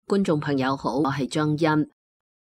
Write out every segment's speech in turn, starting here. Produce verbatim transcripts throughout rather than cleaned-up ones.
觀眾朋友好，我係張欣。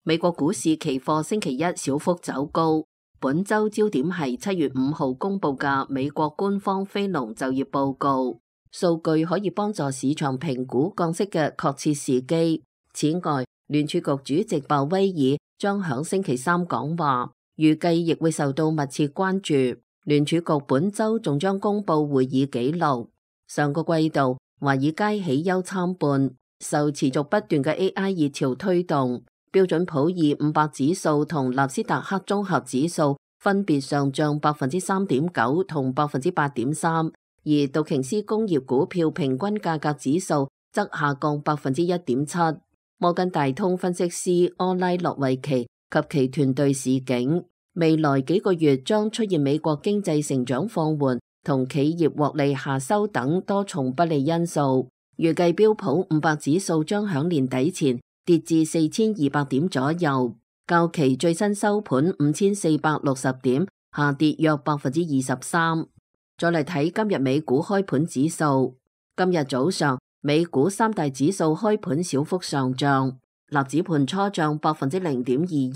美國股市期貨星期一小幅走高，本周焦點係七月五號公布嘅美國官方非農就業報告，數據可以幫助市場評估降息嘅確切時機。此外，聯儲局主席鮑威爾將響星期三講話，預計亦會受到密切關注。聯儲局本周仲將公布會議記錄。上個季度，華爾街喜憂參半，受持續不斷嘅 A I 熱潮推動，標準普爾五百指數同納斯達克綜合指數分別上漲百分之三點九同百分之八點三，而道瓊斯工業股票平均價格指數則下降百分之一點七。摩根大通分析師柯拉諾維奇及其團隊示警，未來幾個月將出現美國經濟成長放緩同企業獲利下修等多重不利因素。預計標普五百指數將響年底前跌至四千二百點左右，較其最新收盤五千四百六十點下跌約百分之二十三。再嚟睇今日美股開盤指數，今日早上美股三大指數開盤小幅上漲，納指盤初漲百分之零點二一，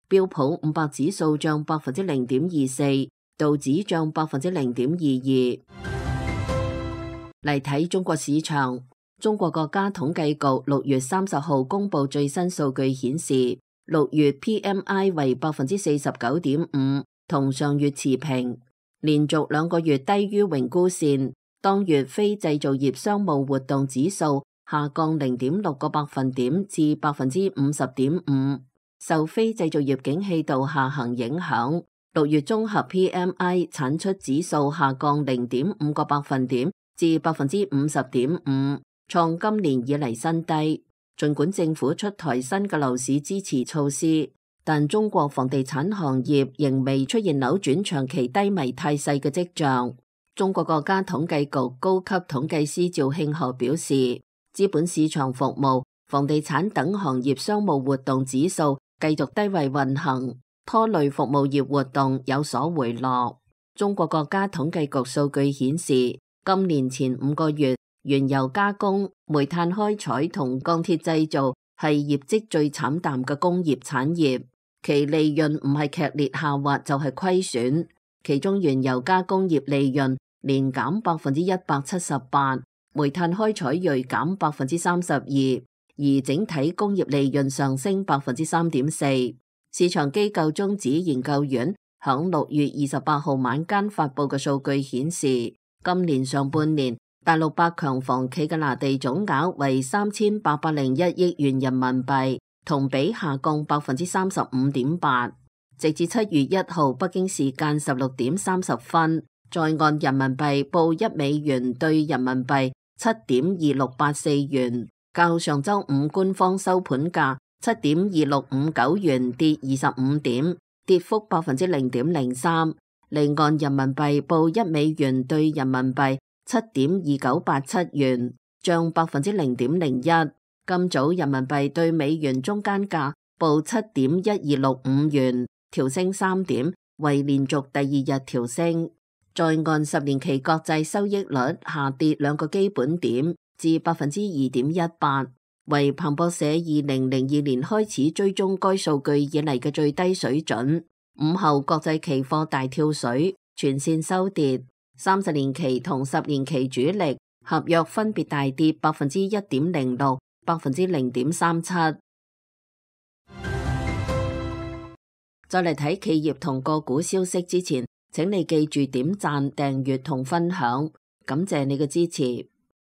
標普五百指數漲百分之零點二四，道指漲百分之零點二二。嚟睇中國市場，中國國家統計局六月三十號公布最新數據顯示，六月 P M I 為百分之四十九點五，同上月持平，連續兩個月低於榮枯線。當月非製造業商務活動指數下降零點六個百分點至百分之五十點五，受非製造業景氣度下行影響，六月綜合 P M I 產出指數下降零點五個百分點至百分之五十點五，創今年以嚟新低。儘管政府出台新嘅樓市支持措施，但中國房地產行業仍未出現扭轉長期低迷態勢嘅跡象。中國國家統計局高級統計師趙慶河表示，資本市場服務、房地產等行業商務活動指數繼續低位運行，拖累服務業活動有所回落。中國國家統計局數據顯示，今年前五個月，原油加工、煤炭開採同鋼鐵製造係業績最慘淡嘅工業產業，其利潤唔係劇烈下滑就係虧損，其中原油加工業利潤年減百分之一百七十八，煤炭開採銳減百分之三十二，而整體工業利潤上升百分之三點四。市場機構中指研究院響六月二十八號晚間發佈嘅數據顯示，今年上半年大陸百強房企嘅拿地總額為三千八百零一億元人民幣，同比下降百分之三十五點八。直至七月一號北京時間十六點三十分，在岸人民幣報一美元兌人民幣七點二六八四元，較上周五官方收盤價七點二六五九元跌二十五點，跌幅百分之零點零三。離岸人民幣報一美元兌人民幣七點二九八七元，漲百分之零點零一。今早人民幣兌美元中間價報七點一二六五元，調升三點，為連續第二日調升。在岸十年期國債收益率下跌兩個基本點至百分之二點一八，為彭博社二零零二年開始追蹤該數據以嚟嘅最低水準。午後國際期貨大跳水，全線收跌，三十年期同十年期主力合約分別大跌百分之一點零六、百分之零點三七。再嚟睇企業同個股消息之前，請你記住點讚、訂閱同分享，感謝你嘅支持。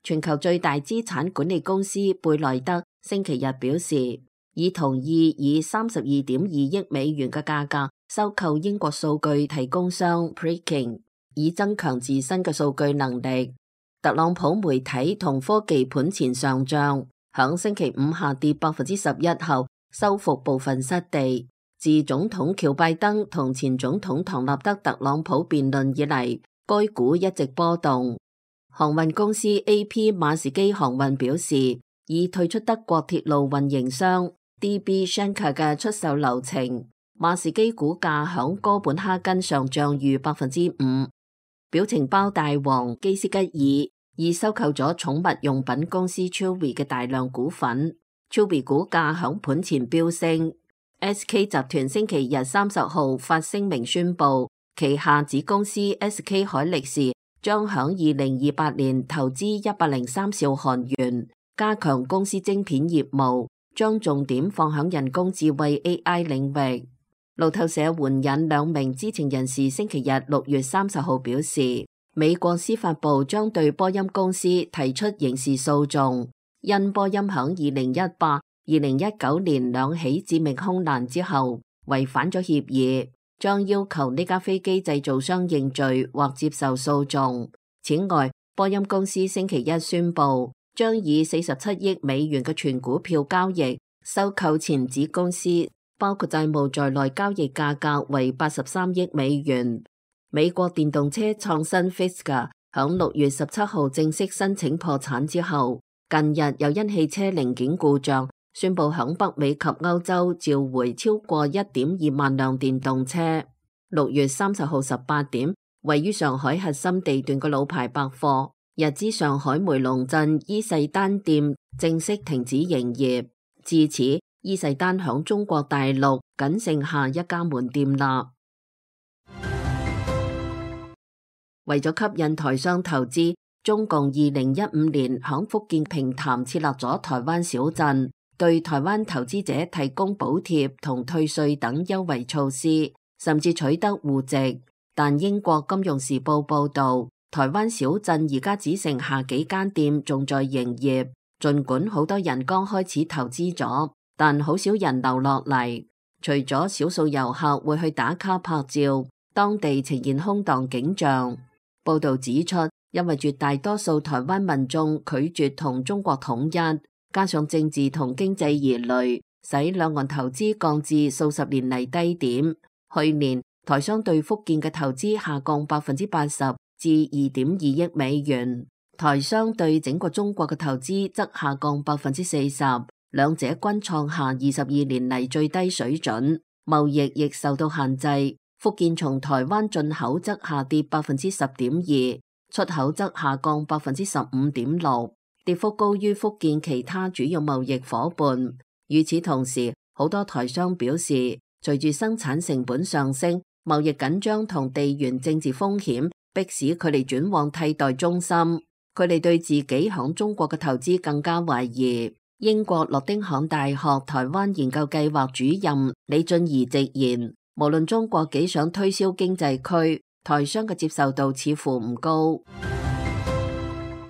全球最大資產管理公司貝萊德星期日表示，已同意以三十二點二億美元嘅價格收購英國數據提供商 Preqin， 以增強自身嘅數據能力。特朗普媒體同科技盤前上漲，響星期五下跌百分之十一後，收復部分失地。自總統喬拜登同前總統唐納德特朗普辯論以嚟，該股一直波動。航運公司 A P 馬士基航運表示，已退出德國鐵路運營商 D B Schenker 嘅出售流程。馬士基股價響哥本哈根上漲逾百分之五。表情包大王基斯吉爾已收購咗寵物用品公司 Chewy 嘅大量股份。Chewy 股價響盤前飆升。S K 集團星期日三十號發聲明宣布，旗下子公司 S K 海力士將響二零二八年投資一百零三兆韓元，加強公司晶片業務，將重點放響人工智慧 A I 領域。路透社援引兩名知情人士星期日六月三十號表示，美國司法部將對波音公司提出刑事訴訟，因波音響二零一八、二零一九年兩起致命空難之後違反咗協議，將要求呢家飛機製造商認罪或接受訴訟。此外，波音公司星期一宣布，將以四十七億美元嘅全股票交易收購前子公司，包括債務在內，交易價格為八十三億美元。美國電動車創新 Fisker 響六月十七號正式申請破產之後，近日又因汽車零件故障，宣布響北美及歐洲召回超過一點二萬輛電動車。六月三十號十八點，位於上海核心地段嘅老牌百貨日資上海梅龍鎮伊勢丹店正式停止營業。至此，伊勢丹響中國大陸僅剩下一家門店啦。為咗吸引台商投資，中共二零一五年響福建平潭設立咗台灣小鎮，對台灣投資者提供補貼同退稅等優惠措施，甚至取得戶籍。但英國金融時報報道，台灣小鎮而家只剩下幾間店仲在營業，儘管好多人剛開始投資咗，但好少人留落嚟。除咗少數遊客會去打卡拍照，當地呈現空蕩景象。報道指出，因為絕大多數台灣民眾拒絕同中國統一，加上政治同經濟疑慮，使兩岸投資降至數十年嚟低點。去年台商對福建嘅投資下降百分之八十至二點二億美元，台商對整個中國嘅投資則下降百分之四十，兩者均創下二十二年嚟最低水準，貿易亦受到限制。福建從台灣進口則下跌百分之十點二，出口則下降百分之十五點六，跌幅高於福建其他主要貿易夥伴。與此同時，好多台商表示，隨住生產成本上升，貿易緊張同地緣政治風險迫使佢哋轉往替代中心，佢哋對自己響中國嘅投資更加懷疑。英國諾丁漢大學台灣研究計劃主任李俊儀直言，無論中國幾想推銷經濟區，台商嘅接受度似乎唔高。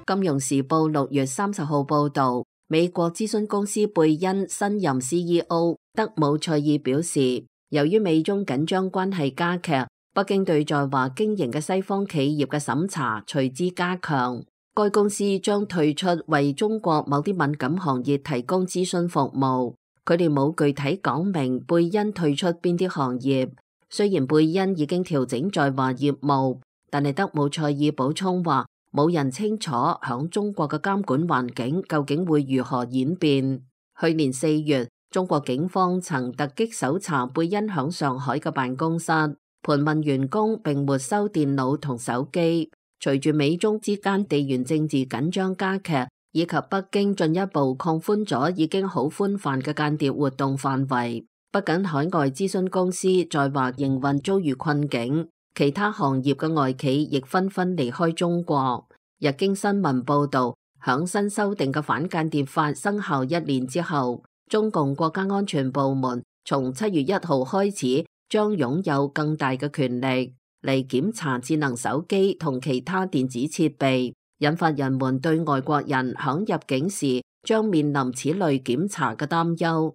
金融時報六月三十號報道，美國諮詢公司貝恩新任 C E O 德姆塞爾表示，由於美中緊張關係加劇，北京對在華經營嘅西方企業嘅審查隨之加強。該公司將退出為中國某啲敏感行業提供諮詢服務。佢哋冇具體講明貝恩退出邊啲行業。雖然貝恩已經調整在華業務，但係德姆塞爾補充話，冇人清楚響中國嘅監管環境究竟會如何演變。去年四月，中國警方曾突擊搜查貝恩響上海嘅辦公室，盤問員工並沒收電腦同手機。隨住美中之間地緣政治緊張加劇，以及北京進一步擴寬咗已經好寬泛嘅間諜活動範圍，不僅海外諮詢公司在華營運遭遇困境，其他行業嘅外企亦紛紛離開中國。日經新聞報道，響新修訂嘅反間諜法生效一年之後，中共國家安全部門從七月一號開始將擁有更大嘅權力嚟檢查智能手機同其他電子設備，引發人們對外國人響入境時將面臨此類檢查嘅擔憂。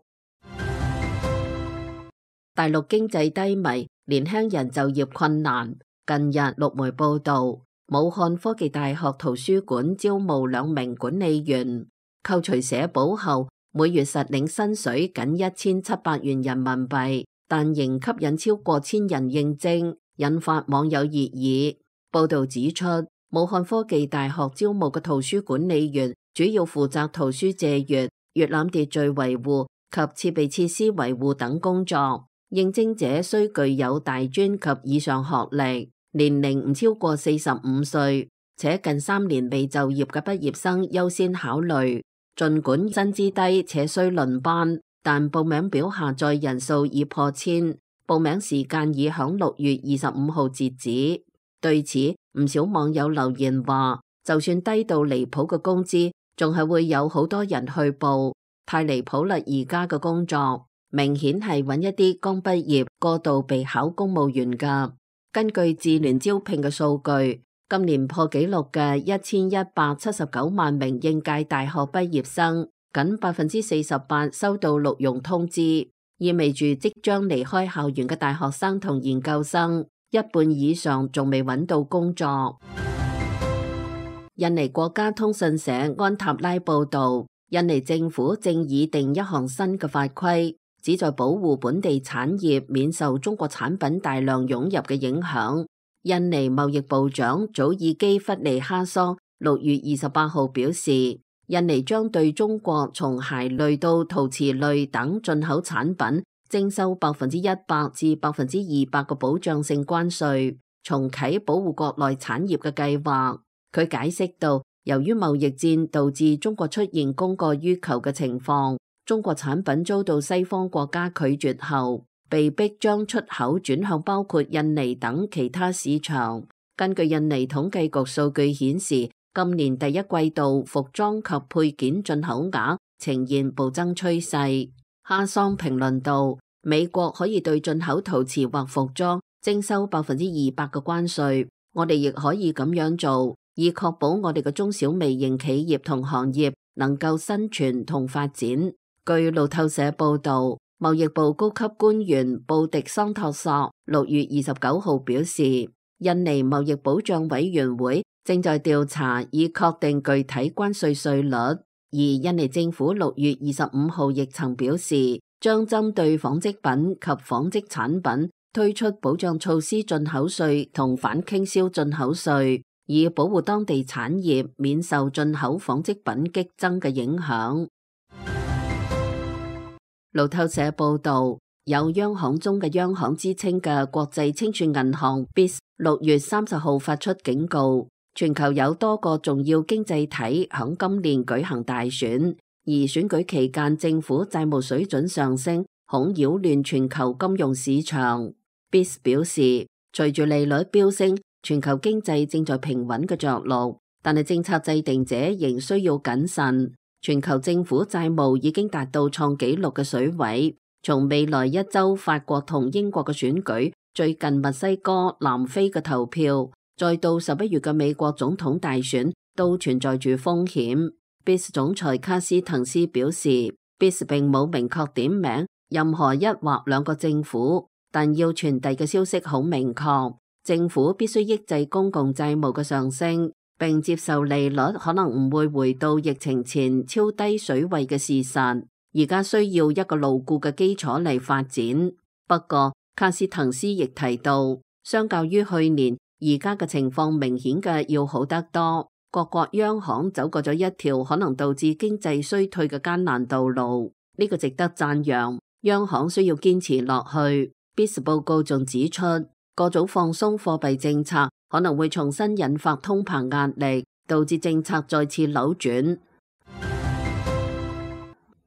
大陸經濟低迷，年輕人就業困難。近日陸媒報道，武漢科技大學圖書館招募兩名管理員，扣除社保後，每月實領薪水僅一千七百元人民幣，但仍吸引超過千人應徵，引發網友熱議。報道指出，武漢科技大學招募嘅圖書管理員主要負責圖書借閱、閱覽秩序維護及設備設施維護等工作。應徵者需具有大專及以上學歷，年齡唔超過四十五歲，且近三年未就業嘅畢業生優先考慮。儘管薪資低且需輪班，但報名表下載人數已破千，報名時間已響六月二十五號截止。對此，唔少網友留言話，就算低到離譜嘅工資，仲係會有好多人去報，太離譜啦！而家嘅工作明顯係揾一啲剛畢業過度備考公務員㗎。根據智聯招聘嘅數據，今年破紀錄嘅一千一百七十九萬名應屆大學畢業生，僅百分之四十八收到錄用通知，意味住即將離開校園嘅大學生同研究生，一半以上仲未揾到工作。印尼國家通訊社安塔拉報道，印尼政府正擬定一項新嘅法規，旨在保護本地產業免受中國產品大量湧入嘅影響。印尼貿易部長祖爾基弗尼哈桑六月二十八號表示，印尼將對中國從鞋類到陶瓷類等進口產品徵收百分之一百至百分之二百嘅保障性關稅，重啟保護國內產業嘅計劃。佢解釋到，由於貿易戰導致中國出現供過於求嘅情況，中國產品遭到西方國家拒絕後，被迫將出口轉向包括印尼等其他市場。根據印尼統計局數據顯示，今年第一季度服裝及配件進口額呈現暴增趨勢。哈桑評論道，美國可以對進口陶瓷或服裝徵收百分之二百嘅關稅，我哋亦可以咁樣做，以確保我哋嘅中小微型企業同行業能夠生存同發展。據路透社報道，貿易部高級官員布迪桑托索六月二十九號表示，印尼貿易保障委員會正在調查以確定具體關稅稅率，而印尼政府六月二十五號亦曾表示，將針對紡織品及紡織產品推出保障措施進口稅同反傾銷進口稅，以保護當地產業免受進口紡織品激增嘅影響。路透社報道，有央行中嘅央行之稱嘅國際清算銀行 B I S 六月三十號發出警告，全球有多個重要經濟體響今年舉行大選，而選舉期間政府債務水準上升，恐擾亂全球金融市場。B I S 表示，隨住利率飆升，全球經濟正在平穩嘅着陸，但係政策制定者仍需要謹慎。全球政府債務已經達到創紀錄嘅水位，從未來一周法國同英國嘅選舉，最近墨西哥、南非嘅投票，再到十一月嘅美國總統大選，都存在住風險。B I S 總裁卡斯滕斯表示， B I S 並冇明確點名任何一或兩個政府，但要傳遞嘅消息好明確，政府必須抑制公共債務嘅上升，並接受利率可能唔會回到疫情前超低水位嘅事實，而家需要一個牢固嘅基礎嚟發展。不過，卡斯滕斯亦提到，相較於去年，而家嘅情況明顯嘅要好得多。各國央行走過咗一條可能導致經濟衰退嘅艱難道路，呢個值得讚揚。央行需要堅持落去。B I S 報告仲指出，各種放鬆貨幣政策可能會重新引發通膨壓力，導致政策再次扭轉。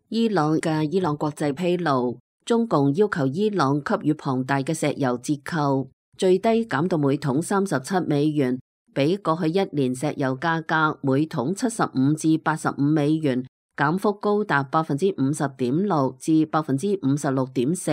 伊朗嘅伊朗國際披露，中共要求伊朗給予龐大嘅石油折扣，最低減到每桶三十七美元，比過去一年石油價格每桶七十五至八十五美元，減幅高達百分之五十點六至百分之五十六點四。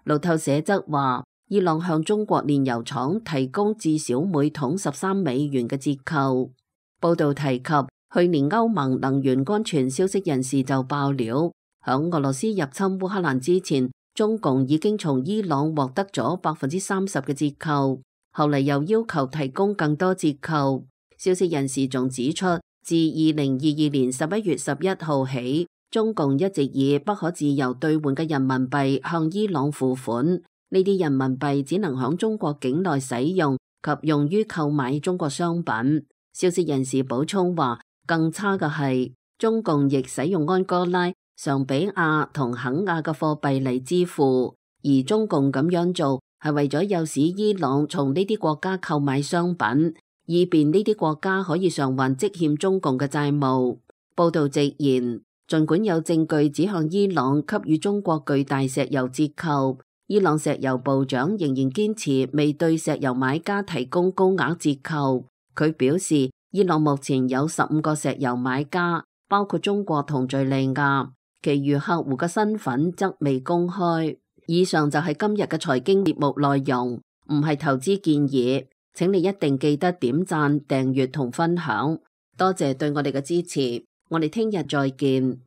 路透社則話，伊朗向中國煉油廠提供至少每桶十三美元嘅折扣。報道提及，去年歐盟能源安全消息人士就爆料，響俄羅斯入侵烏克蘭之前，中共已經從伊朗獲得咗百分之三十嘅折扣，後嚟又要求提供更多折扣。消息人士仲指出，自二零二二年十一月十一號起，中共一直以不可自由兌換嘅人民幣向伊朗付款，呢啲人民幣只能響中國境內使用及用於購買中國商品。消息人士補充話，更差嘅係，中共亦使用安哥拉、尚比亞同肯亞嘅貨幣嚟支付，而中共咁樣做係為咗誘使伊朗從呢啲國家購買商品，以便呢啲國家可以償還積欠中共嘅債務。報道直言，儘管有證據指向伊朗給予中國巨大石油折扣，伊朗石油部長仍然堅持未對石油買家提供高額折扣。佢表示，伊朗目前有十五個石油買家，包括中國同敘利亞，其餘客戶嘅身份則未公開。以上就係今日嘅財經節目內容，唔係投資建議，請你一定記得點讚、訂閱同分享，多謝對我哋嘅支持，我哋聽日再見。